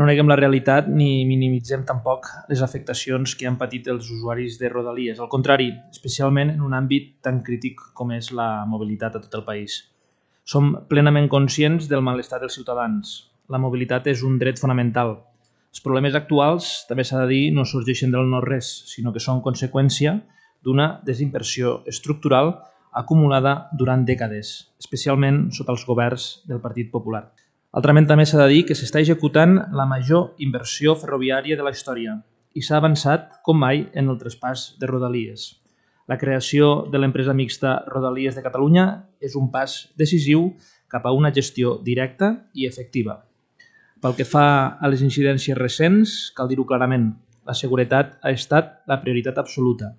no neguem la realitat ni minimitzem tampoc les afectacions que han patit els usuaris de Rodalies. Al contrari, especialment en un àmbit tan crític com és la mobilitat a tot el país. Som plenament conscients del malestar dels ciutadans. La mobilitat és un dret fonamental. Els problemes actuals, també s'ha de dir, no sorgeixen del no-res, sinó que són conseqüència d'una desinversió estructural acumulada durant dècades, especialment sota els governs del Partit Popular. Altrament, també s'ha de dir que s'està executant la major inversió ferroviària de la història i s'ha avançat com mai en el traspàs de Rodalies. La creació de l'empresa mixta Rodalies de Catalunya és un pas decisiu cap a una gestió directa i efectiva. Pel que fa a les incidències recents, cal dir-ho clarament, la seguretat ha estat la prioritat absoluta.